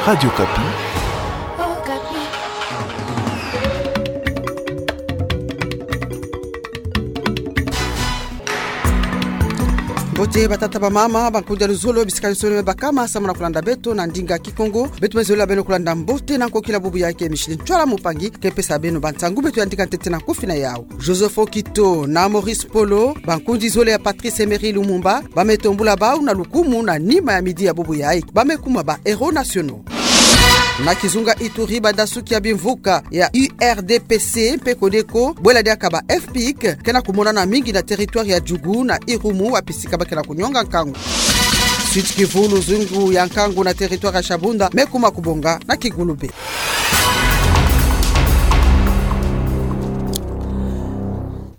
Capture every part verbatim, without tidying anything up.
Radio Okapi. Mbote batata, bamama, bankundi ya luzolo, bisika nyonso me bakama, samu na kulanda beto na ndinga Kikongo. Beto me zola beno kulanda mbote na nkokila bubu ya ke Micheline Ntwala Mpangi, ke pesa beno bansangu beto ya ndinga ntete na kufi na yau. Joseph Okito na Maurice Mpolo, bankundi zole ya Patrice Emery Lumumba, ba me tombula bau na lukumu na nima ya midi ya bubu yayi. Ba me kuma ba héros nationaux. Na kizunga Ituri, badasuki ya bimvuka ya U R D P C mpe Codeco, bwela diaka ba F pic, ke na kumonana mingi na territoire ya Djugu na Irumu, wapi sika ba ke na kunyonga nkangu. Sud-Kivu, luzingu ya nkangu na territoire ya Shabunda me kuma kubonga na Kigulube.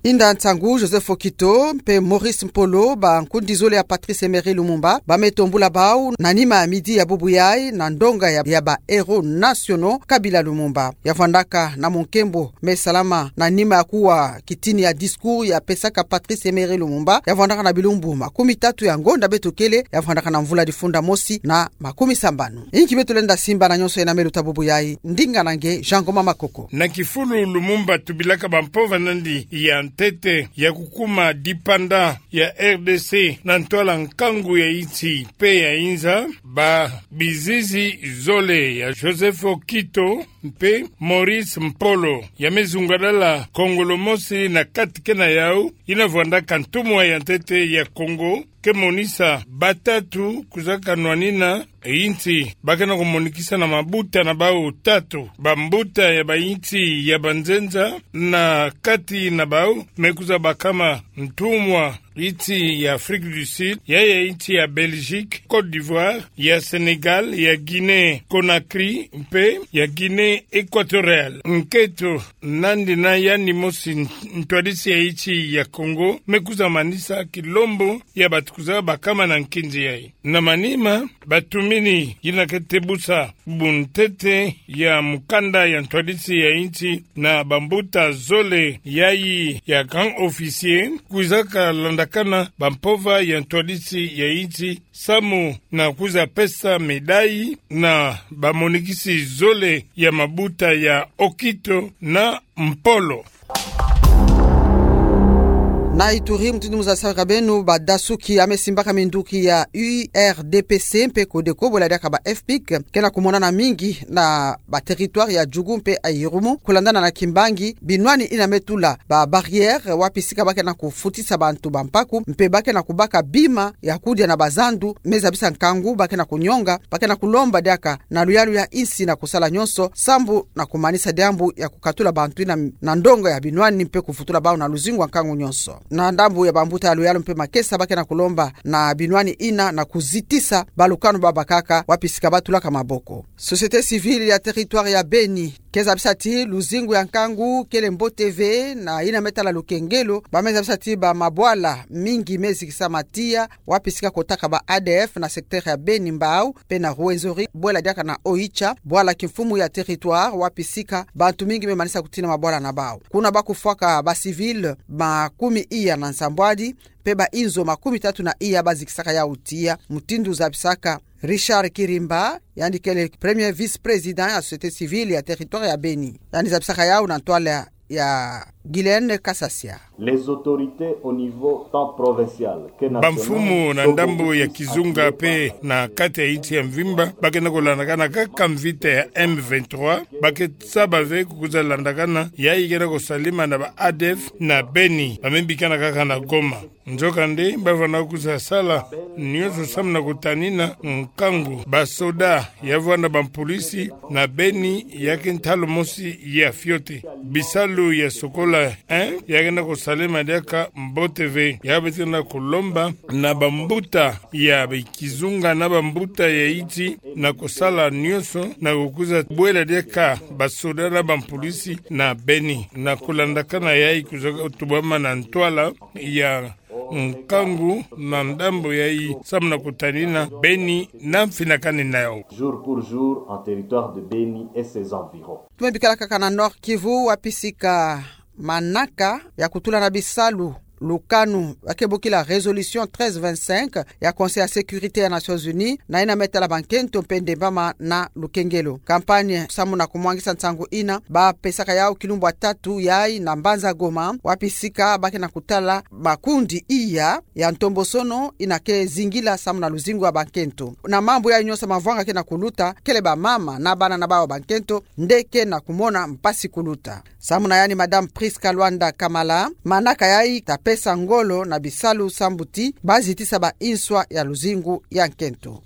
Inda nsangu, Joseph Okito mpe Maurice Mpolo, bankundi zole ya Patrice Emery Lumumba, ba me tombula bau na nima ya midi ya bubu yayi na ndonga ya, ya ba héros nationaux Kabila Lumumba. Ya vwandaka na munkembo me salama na nima ya kuwa kitini ya discours ya pesaka Patrice Emery Lumumba, ya vwandaka na bilumbu makumi tatu ya ngonda beto kele, ya vwandaka na mvula difunda mosi na makumi sambanu. Inki beto lenda simba na nyonso yena me luta bubu yayi, ndinga na nge Jean Ngoma Makoko. Na kifulu Lumumba tubilaka bampova nandi ya ntete ya kukuma dipanda ya R D C na ntwala nkangu ya insi mpe ya inza, ba bizizi zole ya Joseph Okito mpe Maurice Mpolo, ya me zungadala kongolo mosi na kati ke na yau, ina vwandaka ntumwa ya ntete ya Kongo, ke monisa batatu kwiza kanwanina insi ba ke na kumonikisa na mabuta na bau tatu, bambuta ya bainsi ya banzenza, na kati na bau me kwiza bakama ntumwa insi ya Afrique du Sud, ya, ya insi ya Belgique, Côte d'Ivoire, ya Sénégal, ya Guinée Conakry, mpe ya Guinée Équatoriale. Nketo nandi na yandi mosi, ntwadisi ya insi ya Kongo me kwiza manisa kilombo ya batu kwiza bakama na nkinzi yayi. Na manima, batumini yina ke tebusa bubu ntete ya mukanda ya ntwadisi ya insi na bambuta zole yayi ya grand officier, kwiza kalandakana bampova ya ntwadisi ya insi, samu na kwiza pesa médaille na bamonikisi zole ya mabuta ya Okito na Mpolo. Na Ituri, mutindu muzabisaka beno, badasuki ya me simbaka minduki ya U R D P C mpe Codeco, bwela diaka ba F pic, ke na kumonana mingi na ba territoire ya Djugu mpe ya Irumu, kulandana na kimbangi binwani ina me tula ba barrière, wapi sika ba ke na kufutisa bantu bampaku, mpe ba ke na kubaka bima ya kudia na bazandu me zabisa nkangu, ba ke na kunyonga, ba ke na kulomba diaka na luyalu ya insi na kusala nyonso sambu na kumanisa diambu ya kukatula bantu ina na ndonga ya binwani mpe kuvutula bau na luzingu wa nkangu nyonso. Na ndambu ya bambuta ya luyalu mpe makesa, ba ke na kulomba na binwani ina na kuzitisa balukanu ba bakaka, wapi sika ba tulaka maboko. Société civile ya territoire ya Beni ke zabisa ti luzingu ya nkangu kele mbote ve, na ina me tala lukengelo, ba me zabisa ti ba mabwala mingi me zikisa matiya, wapi sika kotaka ba A D F na secteur ya Beni Mbao, mpe na Rwenzori, bwela diaka na Oicha, bwala kimfumu ya territoire, wapi sika bantu mingi me manisa kutina mabwala na bau. Kuna ba kufwaka ba civil makumi iya na nsambwadi, mpe ba inzo makumi tatu na iya ba zikisaka yau tiya, mutindu zabisaka Richard Kirimba, yandi kele premier vice-président ya société civile ya territoire ya Beni. Yandi zabisaka yau na ntwala ya Guylaine Kasasia. Les autorités au niveau tant provincial que national. Bamfumu na ndambu ya kizunga mpe na kati ya insi ya mvimba, ba ke na kulandakana kaka mvita ya M vingt-trois, ba ke saba ve kukwiza landakana yayi ke na kusalama na ba A D F na Beni, ba me bikana kaka na Goma. Nzokande, ba vwanda kwiza sala nyonso samu na kutanina nkangu. Basoda ya vwanda bampulisi na Beni ya ke ntalu mosi ya fioti. Bisalu ya sokola, eh, ya ke na kusalama diaka mbote ve. Ya beto na kulomba na bambuta ya kizunga na bambuta ya insi na kusala nyonso na kukwiza bwela diaka basoda na bampulisi na Beni, na kulandakana yayi kwiza tubama na ntwala ya nkangu na ndambu yayi samu na kutanina Beni na mfinakani na yau. Jour pour jour en territoire de Beni et ses environs. Tu me bikala kaka na Nord-Kivu, wapi sika manaka ya kutula na bisalu lukanu ba ke bokila résolution treize vingt-cinq ya Conseil ya sécurité ya Nations Unies, na yina me tala bankento mpe ndembama na lukengelo. Campagne samu na kumwangisa nsangu yina ba pesaka yawu kilumbu ya tatu yayi na mbanza Goma, wapi sika ba ke na kutala makundi iya ya ntombosono yina ke zingila samu na luzingu ya bankento. Na mambu yayi nyonso mavwanga ke na kuluta, kele bamama na bana na bawu bankento nde ke na kumona mpasi kuluta. Samu na yandi, Madame Prisca Luanda Kamala, manaka yayi ta pesa ngolo na bisalu sambu ti ba zitisa ba inswa ya luzingu ya nkento.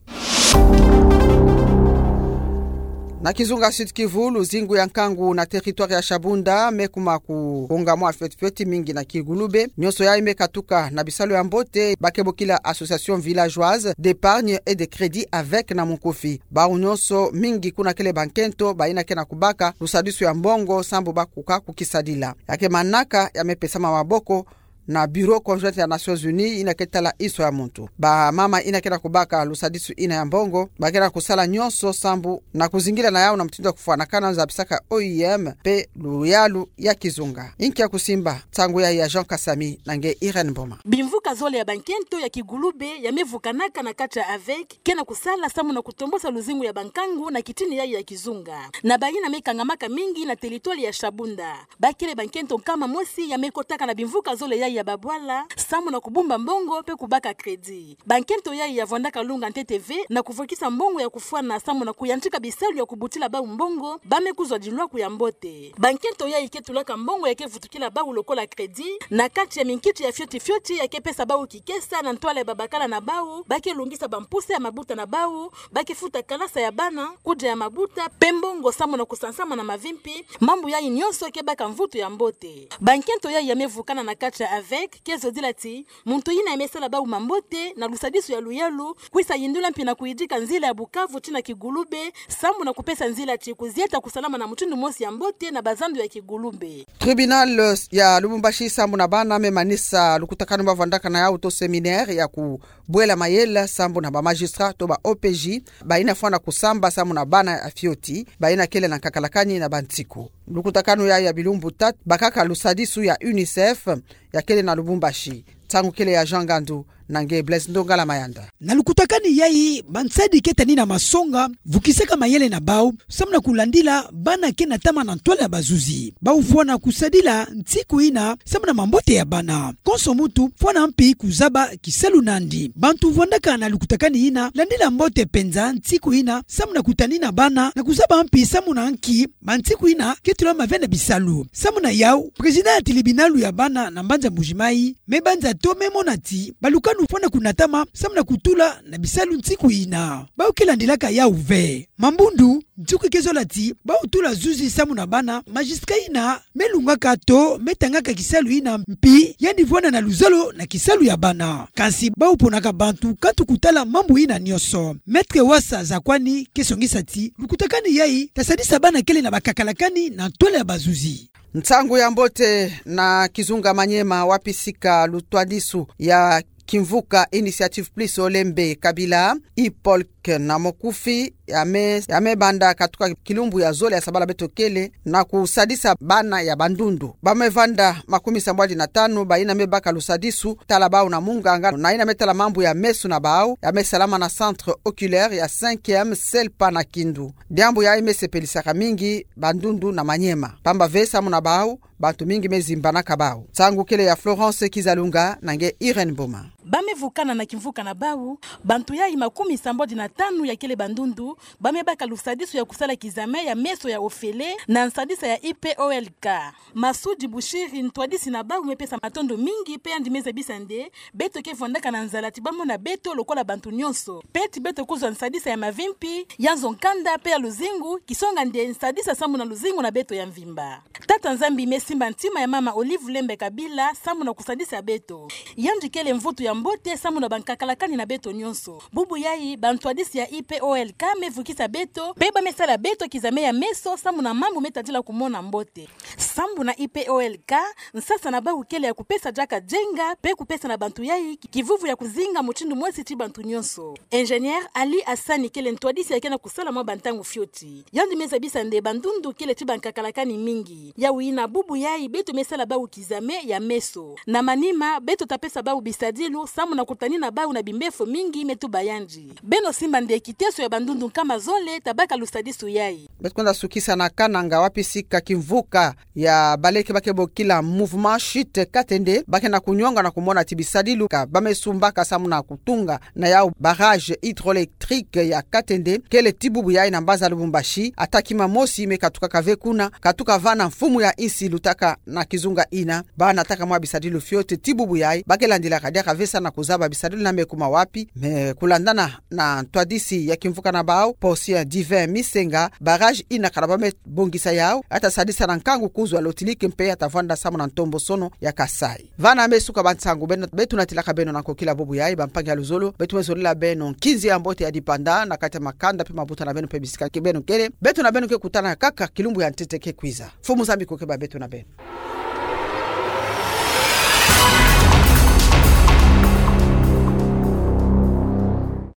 Na kizunga Sud-Kivu, luzingu ya nkangu na territoire ya Shabunda me kuma kukongamwa fioti fioti mingi na kigulube. Nyonso yayi me katuka na bisalu ya mbote ba ke bokila Association Villageoise d'Épargne et de Crédit, avec na munkufi. Bawu nyonso, mingi kuna kele bankento, bayina ke na kubaka lusadisu ya mbongo sambu ba kuka kukisadila. Ya ke manaka ya me pesama maboko na Bureau Conjoint ya Nations Unies yina ke tala inswa ya muntu. Bamama yina ke na kubaka lusadisu yina ya mbongo ba ke na kusala nyonso sambu na kuzingila na yawu na mutindu ya kufwanakana, nza bisaka O I M mpe luyalu ya kizunga. Inkia kusimba nsangu yayi ya Jean Kasami na nge Irène Mboma. Bimvuka zole ya bankento ya kigulube ya me vukanaka na kati ya avec ke na kusala samu na kutombosa luzingu ya bankangu na kitini yayi ya kizunga. Na bayina me kangamaka mingi na territoire ya Shabunda. Ba kele bankento nkama mosi ya me kotaka na bimvuka zole yayi ya babwala samu na kubumba mbongo mpe kubaka crédit. Bankento yayi ya vwandaka lunga ntete ve na kuvwekisa mbongo ya kufwana samu na kuyantika bisalu ya kubutila bawu mbongo, ba me kuzwa dilwaku ya mbote. Bankento yayi ke tulaka mbongo ya ke vutukila bawu lokola crédit na kati ya minkiti ya fioti fioti ya ke pesa bawu kikesa na ntwala ya babakala na bawu, ba ke lungisa bampuse ya mabuta na bawu, ba ke futa kalasa ya bana, kudia ya mabuta, mpe mbongo samu na kusansama na mavimpi. Mambu yayi nyonso ke baka mvutu ya mbote. Bankento yayi ya me vukana na kati ya avec ke zodila ti muntu yina ya me sala bawu mambote na lusadisu ya luyalu, kwisa yindula mpi na kuyidika nzila ya Bukavu tii na kigulube, samu na kupesa nzila ti kuzieta kusalama na mutindu mosi ya mbote na bazandu ya kigulube. Tribunal ya Lubumbashi samu na bana me manisa lukutakanu ba vwandaka na yawu to séminaire ya kubwela mayela samu na ba magistrat to ba O P J, bayina fwana kusamba samu na bana ya fioti, bayina kele na nkakalakani na bansiku. Lukutakanu yayi ya bilumbu tatu bakaka lusadisu ya UNICEF ya kele na Lubumbashi. Nsangu kele ya Jean Ngandu na nge Blaise Ndongala Mayanda. Na lukutakanu yayi, bansadi ke tani na masonga vukisaka mayele na bawu samu na kulandila bana ke natama na ntwala ya bazuzi. Bawu fwana kusadila nsiku yina samu na mambote ya bana. Konso muntu fwana mpi kuzaba kisalu nandi. Bantu vwandaka na lukutakanu yina landila mbote mpenza nsiku yina samu na kutani na bana na kuzaba mpi samu na nki bansiku yina ke tula mavena bisalu. Samu na yawu, président ya tribunal ya bana na mbanza Mbuji-Mayi me banza to me mona ti balukanu fwana kunatama samu na kutula na bisalu nsiku yina. Bawu ke landilaka yawu ve. Mambundu, nsiku ke zola ti bawu tula zuzi samu na bana, magistrat yina me lungaka to me tangaka kisalu yina mpi yandi vwanda na luzolo na kisalu ya bana. Kansi bawu ponaka bantu kantu kutala mambu yina nyonso. Maître Wasa Zakwani ke songisa ti lukutakanu yayi ta sadisa bana kele na bakakalakani na ntwala ya bazuzi. Nsangu ya mbote na kizunga Maniema, wapi sika lutwadisu ya kimvuka Initiative Plus Olembe Kabila, Hippolyte na Mokufi, ya me, ya me banda katuka kilumbu ya zole ya sabala beto kele, na kusadisa bana ya Bandundu. Ba me vanda makumi sambwadi na tanu, bayina me baka lusadisu tala bawu na munganga, na yina me tala mambu ya meso na bawu, ya me salama na centre oculaire ya cinquième CELPA na Kindu. Diambu yayi me sepelisaka mingi Bandundu na Maniema, pamba ve samu na bawu, bantu mingi me zimbanaka bawu. Nsangu kele ya Florence Kizalunga na nge Irène Mboma. Ba me vukana na kimvuka na bawu, bantu yayi makumi sambwadi na tanu ya kele Bandundu, ba me baka lusadisu ya kusala kizame ya meso ya ofele na nsadisa ya I P O L K. Masudi Bushiri, ntwadisi na bawu, me pesa matondo mingi, mpe yandi me zabisa nde beto ke vwandaka na nzala ti ba mona beto lokola bantu nyonso. Mpe ti beto kuzwa nsadisa ya mavimpi, ya nzo-nkanda, mpe ya luzingu, kisonga nde nsadisa samu na luzingu na beto ya mvimba. Tata Nzambi me simba ntima ya mama Olive Lembe Kabila samu na kusadisa beto. Yandi kele mvutu ya mbote sambu na bankakalakani na beto nyonso. Bubu yai, bantwadisi ya I P O L K me vukisa beto, pe ba me sala beto kizame ya meso sambu na mambu me tadila kumona mbote. Sambu na I P O L K, nsasa na bau kele ya kupesa diaka jenga, pe kupesa na bantu yai kivuvu ya kuzinga mutindu mosi ti bantu nyonso. Ingénieur Ali Hassani kele ntwadisi ya ke na kusala mwa bantangu fioti. Yandi me zabisa nde bandundu kele ti bankakalakani mingi. Yau yina bubu yai beto me sala bau kizame ya meso. Na manima, beto ta pesa bau bisadilu, sambu na kutanina bau na bimbefo mingi me tuba yandi. Beno simba nde kiteso ya bandundu nkama zole, ta baka lusadisu yai. Beto kwenda sukisa na Kananga wapi sika kimvuka ya baleke ba ke bokila Mouvement Chute Katende, ba ke na kunyonga na kumona ti bisadilu ka ba me sumbaka sambu na kutunga na yau barrage hydroélectrique ya Katende, kele ti bubu yai na mbanza Lubumbashi, ata kima mosi me katukaka ve kuna, katuka vana mfumu ya insi lutaka na kizunga yina, ba nataka mwa bisadilu fioti ti bubu yai, ba ke landilaka diaka ve sa na kuzaba bisadilu na me kuma wapi, me kulandana na ntwadisi ya kimvuka na bau, Posien Divin Misenga, barrage yina kana ba me bongisa yau, ya ta sadisa na nkangu kuzwa lotiliki mpe ya ta vwanda sambu na ntombosono ya Kasaï. Vana me suka bansangu beno, beto natilaka beno na kokila bubu yai, bampangi ya luzolo, beto me zolila beno nkinzi ya mbote ya dipanda, na kati ya makanda pe mabuta na beno pe bisika ke beno kele, beto na beno ke kutana kaka kilumbu ya ntete ke kwiza. Mfumu Nzambi ko ke ba beto na beno.